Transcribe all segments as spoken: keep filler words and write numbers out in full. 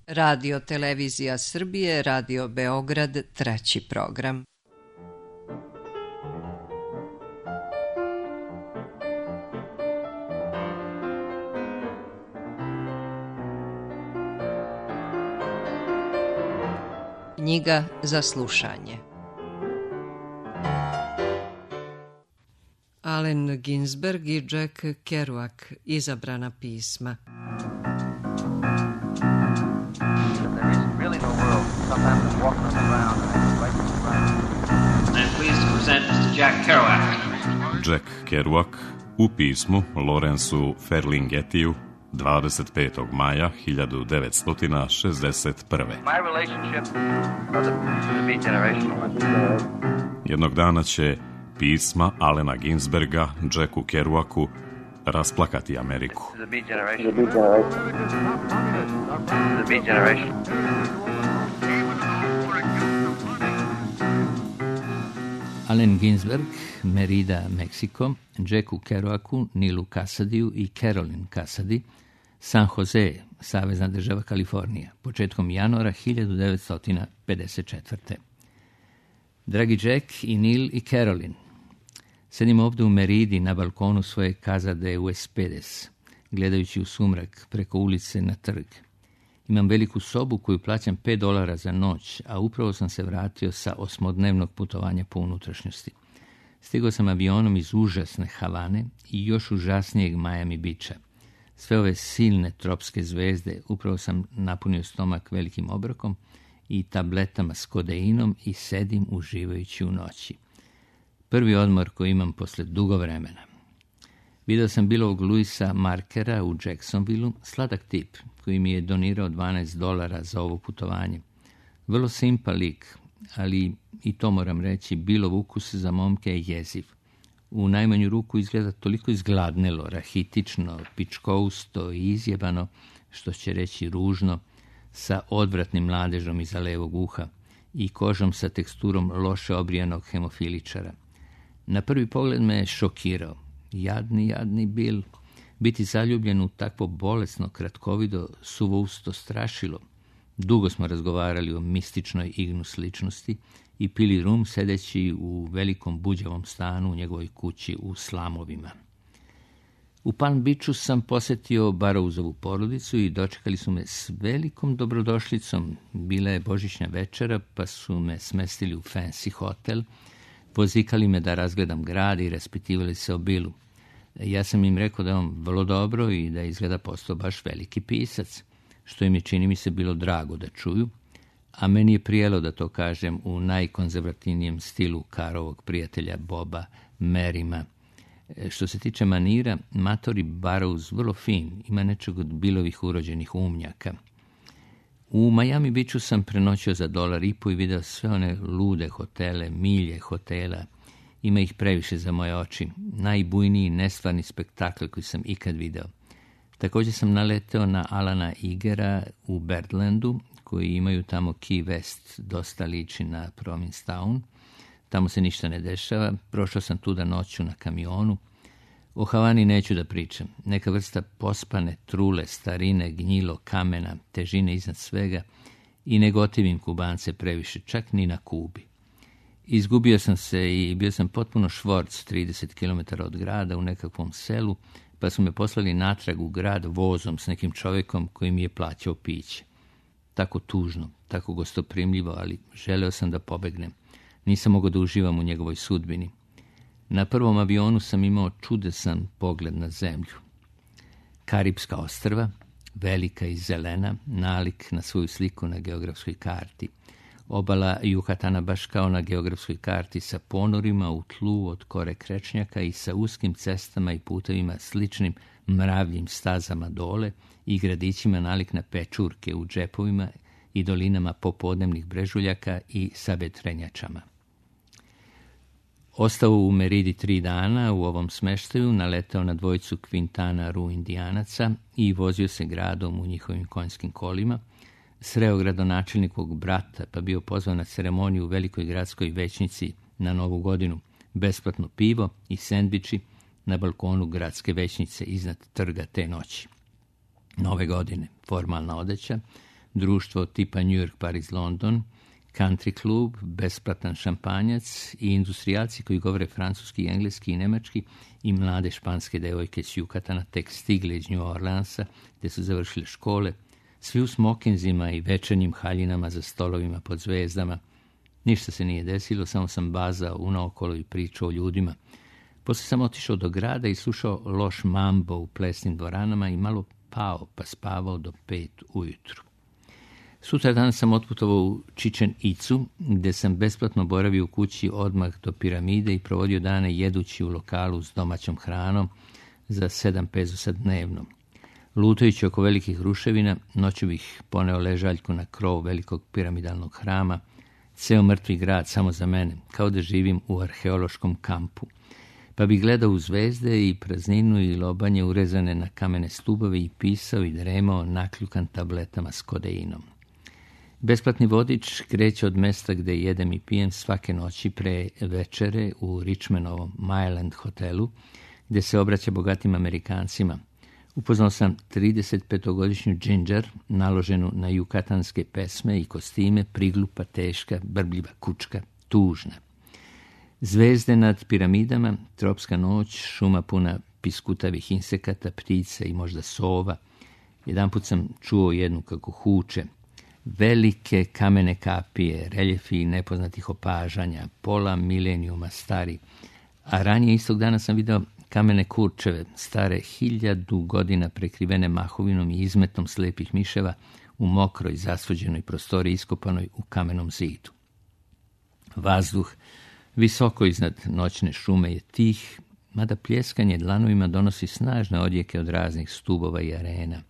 Radio Televizija Srbije, Radio Beograd, treći program. Knjiga za slušanje. Allen Ginsberg i Jack Kerouac, izabrana pisma. Jack Kerouac u pismu Lawrenceu Ferlinghettiju dvadeset petog maja hiljadu devetsto šezdeset prve. Jednog dana će pisma Allena Ginsberga Jacku Kerouacu rasplakati Ameriku. Allen Ginsberg, Merida, Meksiko, Jacku Kerouacu, Nilu Casadiju i Carolyn Casady, San Jose, Savezna država Kalifornija, početkom januara hiljadu devetsto pedeset četvrte. Dragi Jack i Nil i Carolyn, sedim ovdje u Meridi na balkonu svoje Casa de Huespedes, gledajući u sumrak preko ulice na trg. Imam veliku sobu koju plaćam pet dolara za noć, a upravo sam se vratio sa osmodnevnog putovanja po unutrašnjosti. Stigao sam avionom iz užasne Havane i još užasnijeg Miami Beacha. Sve ove silne tropske zvezde, upravo sam napunio stomak velikim obrokom i tabletama s kodeinom i sedim uživajući u noći. Prvi odmor koji imam posle dugo vremena. Video sam Billovog Louisa Markera u Jacksonvilleu, sladak tip koji mi je donirao dvanaest dolara za ovo putovanje. Vrlo simpa lik, ali i to moram reći, Billov ukus za momke je jeziv. U najmanju ruku izgleda toliko izgladnelo, rahitično, pičkousto i izjebano, što će reći ružno, sa odvratnim mladežom iza levog uha i kožom sa teksturom loše obrijanog hemofiličara. Na prvi pogled me je šokirao. Jadni, jadni Bill. Biti zaljubljen u takvo bolesno, kratkovido, suvousto strašilo. Dugo smo razgovarali o mističnoj Ignus ličnosti i pili rum sedeći u velikom buđavom stanu u njegovoj kući u slamovima. U Palm Beachu sam posjetio Barrowsovu porodicu i dočekali su me s velikom dobrodošlicom. Bila je božićna večera, pa su me smestili u fancy hotel, pozikali me da razgledam grad i raspitivali se o Billu. Ja sam im rekao da je on vrlo dobro i da izgleda postao baš veliki pisac, što im je, čini mi se, bilo drago da čuju, a meni je prijelo da to kažem u najkonzervativnijem stilu Karovog prijatelja Boba Merima. Što se tiče manira, matori Barrows vrlo fin, ima nečeg od Billovih urođenih umnjaka. U Miami Beachu sam prenoćio za dolar i po i video sve one lude hotele, milje hotela. Ima ih previše za moje oči. Najbujniji nestvarni spektakl koji sam ikad video. Također sam naleteo na Alana Igera u Birdlandu, koji imaju tamo Key West, dosta liči na Provincetown. Tamo se ništa ne dešava. Prošao sam tuda noću na kamionu. O Havani neću da pričam. Neka vrsta pospane, trule, starine, gnjilo, kamena, težine iznad svega i ne gotivim Kubance previše, čak ni na Kubi. Izgubio sam se i bio sam potpuno švorc trideset kilometara od grada u nekakvom selu, pa su me poslali natrag u grad vozom s nekim čovjekom koji mi je plaćao piće. Tako tužno, tako gostoprimljivo, ali želeo sam da pobegnem. Nisam mogao da uživam u njegovoj sudbini. Na prvom avionu sam imao čudesan pogled na zemlju. Karipska ostrva, velika i zelena, nalik na svoju sliku na geografskoj karti. Obala Jukatana baš kao na geografskoj karti sa ponorima u tlu od kore krečnjaka i sa uskim cestama i putevima sličnim mravljim stazama dole i gradićima nalik na pečurke u džepovima i dolinama popodnevnih brežuljaka i sabetrenjačama. Ostao u Meridi tri dana u ovom smeštaju, naletao na dvojicu Quintana Roo Indijanaca i vozio se gradom u njihovim konjskim kolima, sreo gradonačelnikovog brata, pa bio pozvan na ceremoniju u velikoj gradskoj većnici na Novu godinu, besplatno pivo i sendviči na balkonu gradske većnice iznad trga te noći. Nove godine, formalna odeća, društvo tipa New York, Paris, London, country klub, besplatan šampanjac i industrijalci koji govore francuski, engleski i nemački i mlade španske devojke s Jukatana tek stigle iz New Orleansa gdje su završile škole, svi u smokinzima i večernjim haljinama za stolovima pod zvezdama. Ništa se nije desilo, samo sam bazao unaokolo i pričao o ljudima. Poslije sam otišao do grada i slušao loš mambo u plesnim dvoranama i malo pao pa spavao do pet ujutru. Sutra dan sam otputovao u Čičen Icu, gdje sam besplatno boravio u kući odmah do piramide i provodio dane jedući u lokalu s domaćom hranom za sedam pezusa dnevno. Lutajući oko velikih ruševina, noću bih poneo ležaljku na krov velikog piramidalnog hrama, ceo mrtvi grad samo za mene, kao da živim u arheološkom kampu. Pa bi gledao u zvezde i prazninu i lobanje urezane na kamene stubove i pisao i dremao nakljukan tabletama s kodeinom. Besplatni vodič kreće od mesta gde jedem i pijem svake noći pre večere u Richmondovom Myland hotelu, gde se obraća bogatim Amerikancima. Upoznao sam tridesetpetogodišnju Ginger, naloženu na jukatanske pesme i kostime, priglupa, teška, brbljiva kučka, tužna. Zvezde nad piramidama, tropska noć, šuma puna piskutavih insekata, ptica i možda sova. Jedanput sam čuo jednu kako huče. Velike kamene kapije, reljefi nepoznatih opažanja, pola milenijuma stari. A ranije istog dana sam video kamene kurčeve, stare hiljadu godina prekrivene mahovinom i izmetom slepih miševa u mokroj, zasvođenoj prostori iskopanoj u kamenom zidu. Vazduh visoko iznad noćne šume je tih, mada pljeskanje dlanovima donosi snažne odjeke od raznih stubova i arena.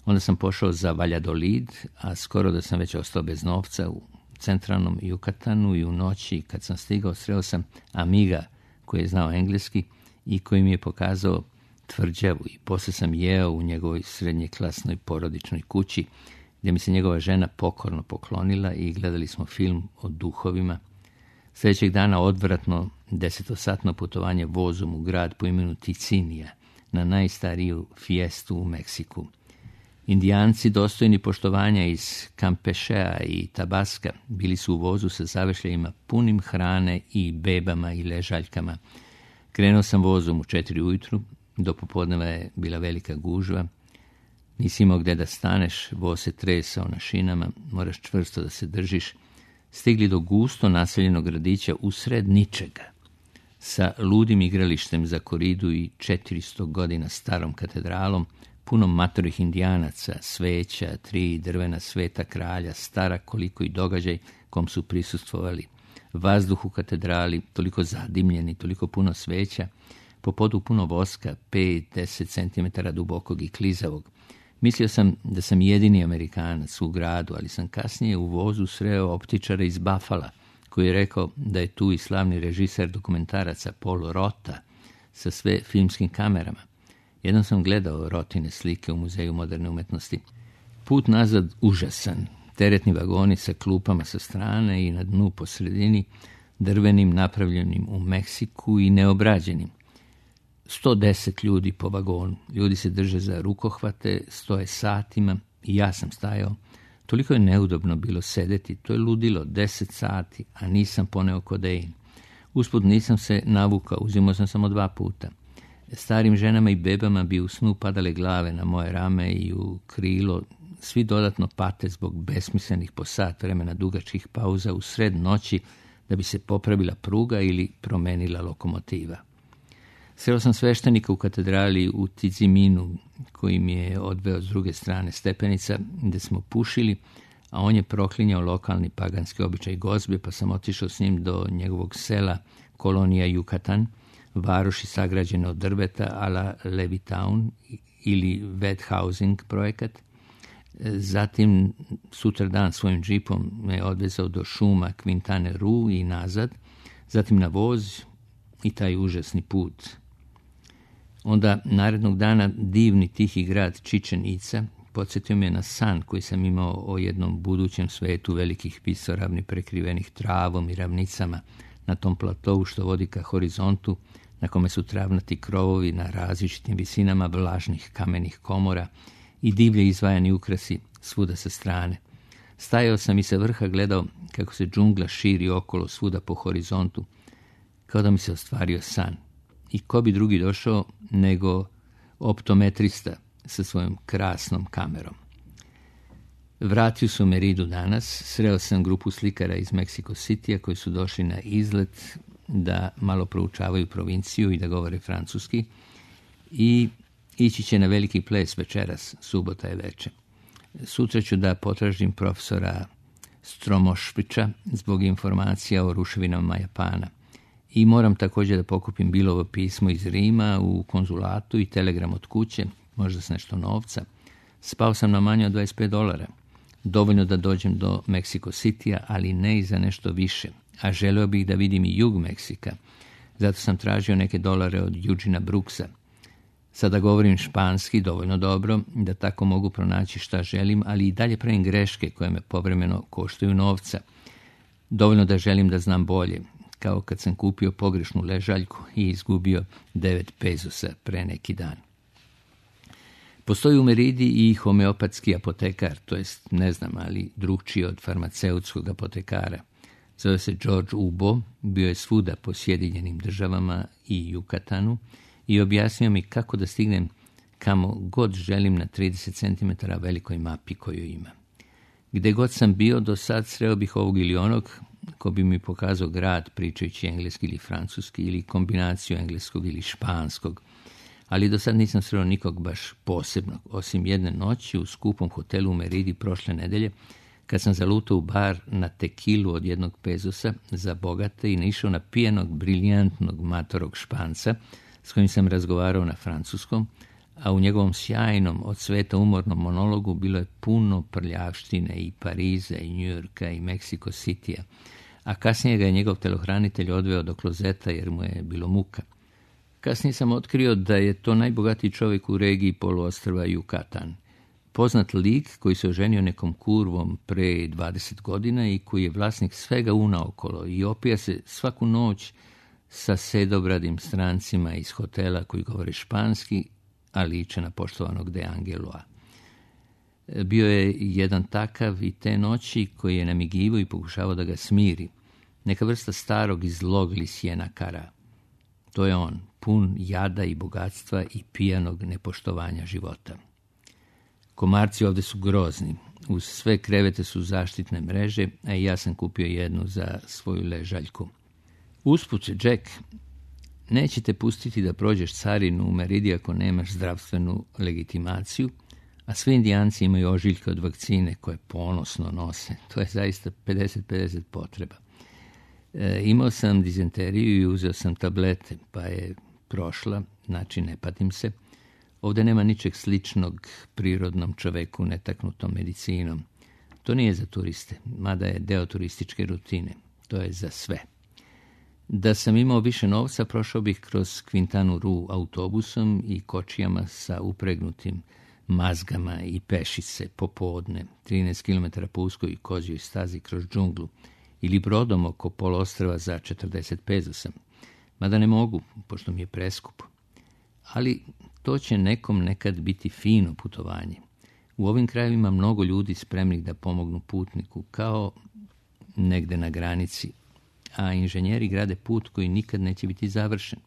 Onda sam pošao za Valladolid, a skoro da sam već ostao bez novca u centralnom Jukatanu i u noći kad sam stigao sreo sam amiga koji je znao engleski i koji mi je pokazao tvrđavu i poslije sam jeo u njegovoj srednjeklasnoj porodičnoj kući gdje mi se njegova žena pokorno poklonila i gledali smo film o duhovima. Sljedećeg dana odvratno desetosatno putovanje vozom u grad po imenu Ticinija na najstariju fijestu u Meksiku. Indijanci dostojni poštovanja iz Campešea i Tabaska bili su u vozu sa zavešljajima punim hrane i bebama i ležaljkama. Krenuo sam vozom u četiri ujutru, do popodneva je bila velika gužva. Nisi imao gde da staneš, voz se tresao na šinama, moraš čvrsto da se držiš. Stigli do gusto naseljenog gradića usred ničega, sa ludim igralištem za koridu i četiristo godina starom katedralom, punom matorih indijanaca, sveća, tri drvena sveta kralja, stara koliko i događaj kom su prisustvovali. Vazduh u katedrali, toliko zadimljeni, toliko puno sveća, po podu puno voska, pet do deset centimetara dubokog i klizavog. Mislio sam da sam jedini Amerikanac u gradu, ali sam kasnije u vozu sreo optičara iz Buffala, koji je rekao da je tu i slavni režiser dokumentaraca Paul Rota sa sve filmskim kamerama. Jednom sam gledao Rotine slike u Muzeju moderne umetnosti. Put nazad užasan, teretni vagoni sa klupama sa strane i na dnu po sredini, drvenim napravljenim u Meksiku i neobrađenim. sto deset ljudi po vagonu. Ljudi se drže za rukohvate, stoje satima i ja sam stajao. Toliko je neudobno bilo sedeti, to je ludilo, deset sati, a nisam poneo kodein. Usput nisam se navukao, uzimao sam samo dva puta. Starim ženama i bebama bi u snu padale glave na moje rame i u krilo, svi dodatno pate zbog besmislenih po sat vremena dugačkih pauza u sred noći da bi se popravila pruga ili promenila lokomotiva. Sreo sam sveštenika u katedrali u Tiziminu, koji mi je odveo s druge strane stepenica, gde smo pušili, a on je proklinjao lokalni paganski običaj gozbe, pa sam otišao s njim do njegovog sela kolonija Jukatan, varoši sagrađene od drveta a la Levittown ili Wet Housing projekat. Zatim sutra dan svojim džipom me odvezao do šuma Quintane Roo i nazad, zatim na voz i taj užasni put. Onda narednog dana divni tihi grad Čičen Ica podsjetio me na san koji sam imao o jednom budućem svetu velikih visoravni prekrivenih travom i ravnicama na tom platovu što vodi ka horizontu, na kome su travnati krovovi na različitim visinama vlažnih kamenih komora i divlje izvajani ukrasi svuda sa strane. Stajao sam i sa vrha gledao kako se džungla širi okolo svuda po horizontu, kao da mi se ostvario san. I ko bi drugi došao nego optometrista sa svojom krasnom kamerom. Vratio sam u Meridu danas, sreo sam grupu slikara iz Mexico Citya koji su došli na izlet da malo proučavaju provinciju i da govore francuski i ići će na veliki ples večeras, subota je večer. Sutra ću da potražim profesora Stromošvića zbog informacija o ruševinama Japana. I moram također da pokupim Bilovo pismo iz Rima u konzulatu i telegram od kuće, možda s nešto novca. Spao sam na manje od dvadeset pet dolara. Dovoljno da dođem do Mexico Citya, ali ne i za nešto više. A želeo bih da vidim i jug Meksika. Zato sam tražio neke dolare od Eugena Brooksa. Sada govorim španski dovoljno dobro da tako mogu pronaći šta želim, ali i dalje pravim greške koje me povremeno koštaju novca. Dovoljno da želim da znam bolje, kao kad sam kupio pogrešnu ležaljku i izgubio devet pezosa pre neki dan. Postoji u Meridi i homeopatski apotekar, to jest ne znam, ali drugčiji od farmaceutskog apotekara. Zove se George Ubo, bio je svuda po Sjedinjenim državama i Jukatanu i objasnio mi kako da stignem kamo god želim na trideset centimetara velikoj mapi koju ima. Gde god sam bio do sad sreo bih ovog ili onog ko bi mi pokazao grad pričajući engleski ili francuski ili kombinaciju engleskog ili španskog, ali do sad nisam sreo nikog baš posebnog, osim jedne noći u skupom hotelu u Meridi prošle nedelje, kad sam zalutao u bar na tekilu od jednog pezosa za bogate i naišao na pijenog, briljantnog matorog Španca s kojim sam razgovarao na francuskom, a u njegovom sjajnom od sveta umornom monologu bilo je puno prljavštine i Pariza i Njujorka i Mexico Citya, a kasnije ga je njegov telohranitelj odveo do klozeta jer mu je bilo muka. Kasnije sam otkrio da je to najbogatiji čovjek u regiji poluostrva Jukatan. Poznat lik koji se oženio nekom kurvom pre dvadeset godina i koji je vlasnik svega unaokolo i opija se svaku noć sa sedobradim strancima iz hotela koji govore španski, a liče na poštovanog De Angeloa. Bio je jedan takav i te noći koji je namigivao i pokušavao da ga smiri. Neka vrsta starog i zlog Lisijena Kara. To je on, pun jada i bogatstva i pijanog nepoštovanja života. Komarci ovde su grozni. Uz sve krevete su zaštitne mreže, a i ja sam kupio jednu za svoju ležaljku. Usput, Jack, nećete pustiti da prođeš carinu u Meridi ako nemaš zdravstvenu legitimaciju, a svi Indijanci imaju ožiljke od vakcine koje ponosno nose. To je zaista pedeset pedeset potreba. E, imao sam dizenteriju i uzeo sam tablete, pa je prošla, znači ne patim se. Ovdje nema ničeg sličnog prirodnom čoveku netaknutom medicinom. To nije za turiste, mada je deo turističke rutine. To je za sve. Da sam imao više novca, prošao bih kroz Quintana Roo autobusom i kočijama sa upregnutim mazgama i pešice popodne, trinaest kilometara po uskoj i kozjoj stazi kroz džunglu, ili brodom oko poluostrva za četrdeset pezosa. Mada ne mogu, pošto mi je preskup. Ali to će nekom nekad biti fino putovanje. U ovim krajevima mnogo ljudi spremnih da pomognu putniku, kao negde na granici, a inženjeri grade put koji nikad neće biti završen.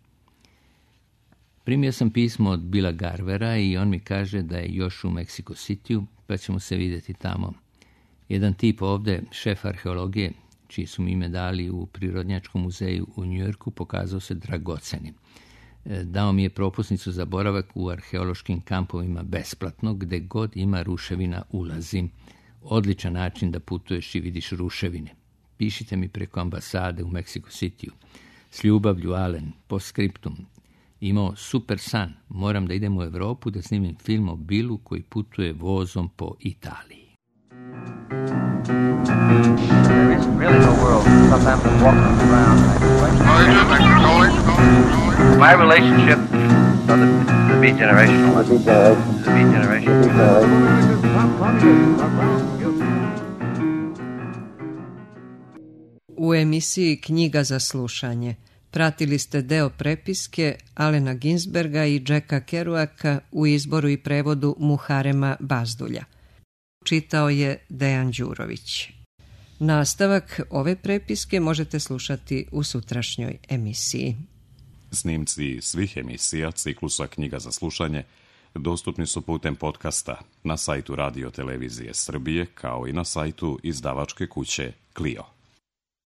Primio sam pismo od Billa Garvera i on mi kaže da je još u Mexico Cityu, pa ćemo se vidjeti tamo. Jedan tip ovde, šef arheologije, čiji su mi ime dali u Prirodnjačkom muzeju u Njujorku, pokazao se dragocenim. Dao mi je propusnicu za boravak u arheološkim kampovima besplatno, gde god ima ruševina ulazim. Odličan način da putuješ i vidiš ruševine. Pišite mi preko ambasade u Mexico Cityu. S ljubavlju, Alen, postscriptum. Imao super san. Moram da idem u Evropu da snimim film o Billu koji putuje vozom po Italiji. There isn't really no world. Sometimes I'm walking around. My relationship, so the, the beat generational. The beat generational. U emisiji Knjiga za slušanje pratili ste deo prepiske Alena Ginsberga i Jacka Kerouaka u izboru i prevodu Muharema Bazdulja. čitao je Dejan Đurović. Nastavak ove prepiske možete slušati u sutrašnjoj emisiji. Snimci svih emisija ciklusa Knjiga za slušanje dostupni su putem podcasta na sajtu Radio Televizije Srbije kao i na sajtu izdavačke kuće Clio.